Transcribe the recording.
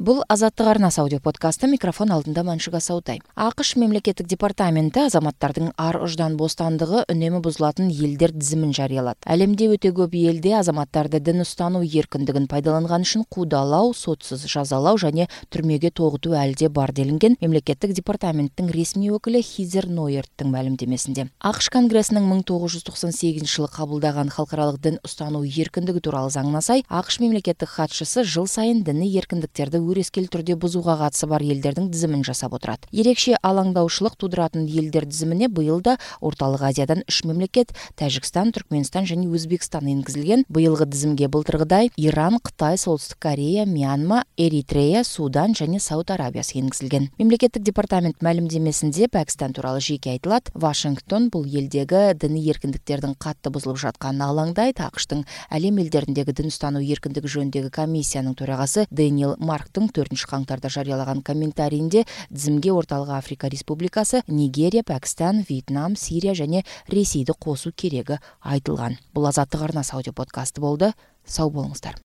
Бул Азаттык арнасы аудио подкасты, микрофон алдында Маншуга Саутай. АКШ мемлекеттик департаменти азаматтардын ар ождан бостандыгы үнөмү бузулатын элдер тизимин жарыялат. Әлемде өтө көп элде азаматтарды дин устануу эркиндигин пайдаланган үчүн куудалоо, сотсуз жазалоо жана түрмөгө тогутуу әлде бар делинген мемлекеттик департаменттин ресми өкүлү Хизер Нойерттин маалимдемесинде. АКШ Конгрессинин 1998-жылы кабылдаган халкыралык дин устануу эркиндиги тууралуу заңына сай, АКШ мемлекеттик катчысы жыл сайын диний эркиндиктерди өрескел түрдө бузууга катысы бар элдердин тизимин жасап отурат. Ерекше алаңдаушылык туудуратын элдер тизимине быйыл да Ортолук Азиядан 3 мемлекет — Тажикстан, Түркмөнстан жана Өзбекстан энгизилген. Быйылгы тизимге былтыргыдай Иран, Кытай, Солтүстүк Корея, Мьянма, Эритрея, Судан жана Сауд Арабиясы энгизилген. Мемлекеттик департамент маалимдемесинде Пакистан тууралуу жеке айтылат. Вашингтон бул элдеги диний эркиндиктердин катты бузулуп жатканына алаңдайт. АКШтын Әлем элдериндеги дин устануу эркиндиги жөнүндөгү комиссиянын төрагасы Дэниел Марктын 4-каңтарда жарыялаган комментарийинде тизимге Ортолук Африка Республикасы, Нигерия, Пакистан, Вьетнам, Сирия жана Ресейди косуу кереги айтылган. Бул Азаттык арнасы аудио подкасты болду. Сау болуңуздар.